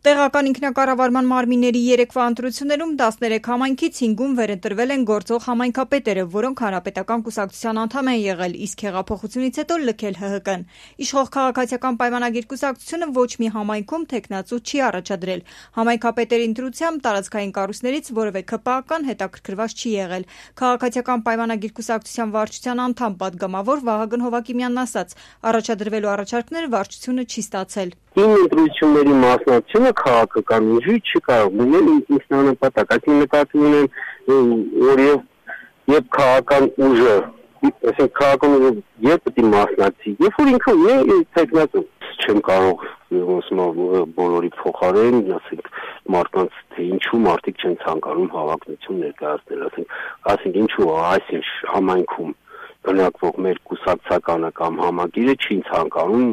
Տեղական ինքնակառավարման մարմինների երեկվա ընտրություններում 13 համայնքից 5-ում վերընտրվել են գործող համայնքապետերը, որոնք հանրապետական կուսակցության անդամ են եղել, իսկ հեղափոխությունից հետո լքել ՀՀԿ-ն։ Իշխող քաղաքացիական պայմանագիր կուսակցությունը ոչ մի համայնքում թեկնածու չի առաջադրել։ Համայնքապետերի ընտրությամբ տարածքային կառույցներից որևէ ՔՊԱ-կան հետաքրքրված չի եղել։ Քաղաքացիական պայմանագիր կուսակցության վարչության անդամ պատգամավոր Վահագն Հովակիմյանն ասաց, առաջադրվելու առաջարկները վարչությունը չի ստացել։ Ընտրությունների մասնակցությունը քաղաքական ուժի չի կարող լինել ինքնանպատակ, այսինքն նկատի ունեմ, որ եւ քաղաքական ուժը, այսինքն քաղաքական ուժը երբ պետք է մասնակցի, երբ որ ինքը ունի տեխնիկա, չեմ կարող բոլորի փոխարեն, ասենք մարդկանց թե ինչու մարդիկ չեն ցանկանում հավակնություն ներկայացնել, ասենք ինչու այսինչ համայնքում բնակվող մեր կուսակցականը կամ համագիրը չի ցանկանում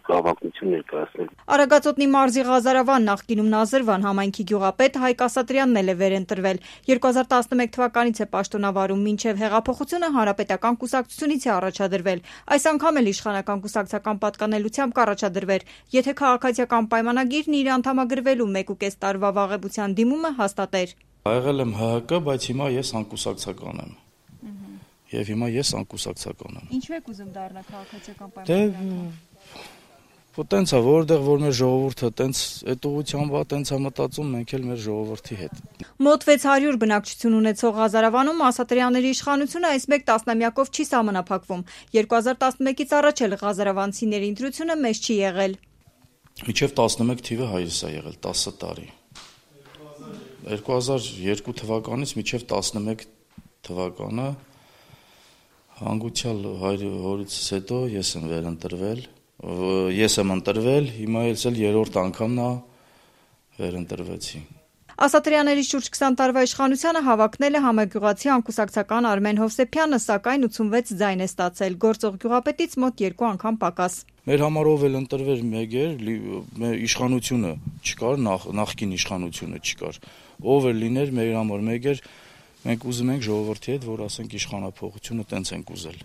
հավակնություն ներկայացնել։ Արագածոտնի մարզի Ղազարավան, նախկինում Նազրվան համայնքի գյուղապետ Հայկ Ասատրյանն էլ է վերընտրվել։ 2011 թվականից է պաշտոնավարում, մինչև հեղափոխությունը հանրապետական կուսակցությունից է առաջադրվել։ Այս անգամ էլ իշխանական կուսակցական պատկանելությամբ կառաջադրվեր, եթե քաղաքացիական պայմանագիրն իր անդամագրվելու 1.5 տարվա վաղեմության դիմումը հաստատեր։ Եղել եմ ՀՀԿ, բայց հիմա ես անկուսակցական եմ։ Եվ հիմա ես անկուսակցական եմ։ Ինչու եք ուզում դառնալ քաղաքացիական պայմանագիր։ Տենց է, որտեղ որ մեր ժողովուրդը տենց այդ ուղղությամբ է, տենց է մտածում, մենք էլ մեր ժողովրդի հետ։ Մոտ 600 բնակչություն ունեցող Ղազարավանում Ասատրյանների իշխանությունը այս մեկ տասնամյակով չի սահմանափակվում։ 2011-ից առաջ էլ ղազարավանցիների ընտրությունը մեծ չի եղել։ Մինչև 11 թիվը հայրս է եղել 10 տարի։ 2002 թվականից մինչև 11 թվականը հանգուցյալ հորիցս հետո ես եմ վերընտրվել։ Ես եմ ընտրվել, հիմա էլ երրորդ անգամն է վերընտրվեցի։ Ասատրյանների շուրջ 20 տարվա իշխանությանը հավակնել է համագյուղացի անկուսակցական Արմեն Հովսեփյանը, սակայն 86 ձայն է ստացել, գործող գյուղապետից մոտ 2 անգամ պակաս։ Մեր համար ով էլ ընտրվեր մեկ էր, իշխանությունը չկար, նախկին իշխանությունը չկար։ Ով էլ լիներ մեր համար մեկ էր, մենք ուզում ենք ժողովրդի հետ, որ ասենք իշխանափոխությունը տենց ենք ուզել։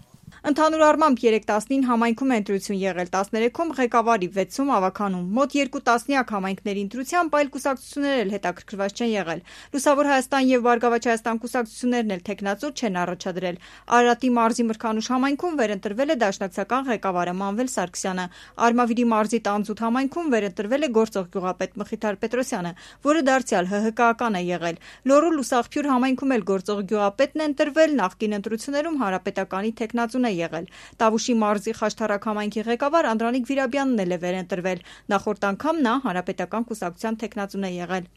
Ընդհանուր առմամբ 3-19 համայնքում է ընտրություն եղել, 13-ում ղեկավարի, 6-ում ավականում, մոտ 2 տասնյակ համայնքների ընտրությամբ այլ կուսակցություններ էլ հետաքրքրված չեն եղել։ Լուսավոր Հայաստան եւ Բարգավաճ Հայաստան կուսակցություններն էլ թեկնածու չեն առաջադրել։ Արարատի մարզի Մրգանուշ համայնքում վերընտրվել է դաշնակցական ղեկավարը Մանվել Սարգսյանը։ Արմավիրի մարզի Տանձուտ համայնքում վերընտրվել է գործող գյուղապետ Մխիթար Պետրոսյանը, որը դարձյալ ՀՀԿ-ական է եղել։ Լոռու Լուսաղփյուր համայնքում էլ գործող գյուղապետն է ընտրվել, նախկին ընտրություններում հանրապետականի թեկնածուն է եղել։ Տավուշի մարզի Խաշթարակ համայնքի ղեկավար Անդրանիկ Վիրաբյանն էլ է վերընտրվել։ Նախորդ անգամ նա հանրապետական կուսակցության թեկնածուն է եղել։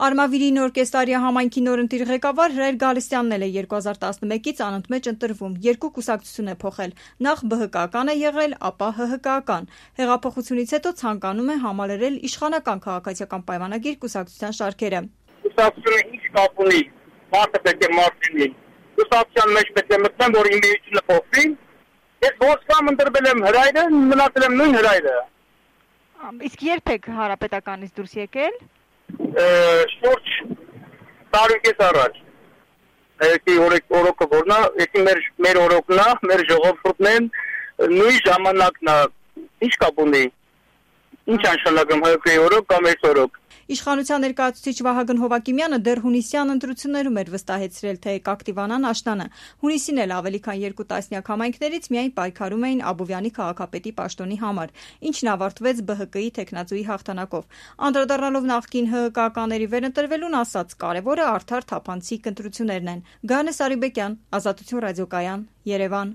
Արմավիրի Նոր Կեսարիա համայնքի նորընտիր ղեկավար Հրայր Գալստյանն էլ է 2011-ից անընդմեջ ընտրվում։ Երկու կուսակցություն է փոխել։ Նախ ԲՀԿ-ական է եղել, ապա ՀՀԿ-ական։ Հեղափոխությունից հետո ցանկանում է համալրել իշխանական քաղաքացիական պայմանագիր կուսակցության շարքերը։ Կուսակցությունը ինչ կապ ունի, մարդը պետք է մարդ լինի։ Կուսակցության մեջ պետք է մտնեմ, որ իմ միությունը փոխվի։ Ես ոչ կամ ընտրվել եմ Հրայրը, մնացել եմ նույն Հրայրը։ Իսկ երբ եք հանրապետականից դուրս եկել։ Շուրջ տարուկես առաջ։ Այսի օրոքը որնա, այսի մեր օրոքն է, մեր ժողովուրդն են, նույն ժամանակն է։ Ինչ կապ ունի։ Ինչ անշանակում ՀԿ-ի օրոք կամ այս օրոք։ Իշխանության ներկայացուցիչ Վահագն Հովակիմյանը դեռ հունիսյան ընտրություններում էր վստահեցրել, թե կակտիվանան աշնանը։ Հունիսին էլ ավելի քան 2 տասնյակ համայնքներից միայն պայքարում էին Աբովյանի քաղաքապետի պաշտոնի համար, ինչն ավարտվեց ԲՀԿ-ի թեկնածուի հաղթանակով։ Անդրադառնալով նախկին ՀՀԿ-ականների վերընտրվելուն, ասաց, կարևորը արդար թափանցիկ ընտրություններն են։ Գայանե Սարիբեկյան, Ազատություն ռադիոկայան, Երևան։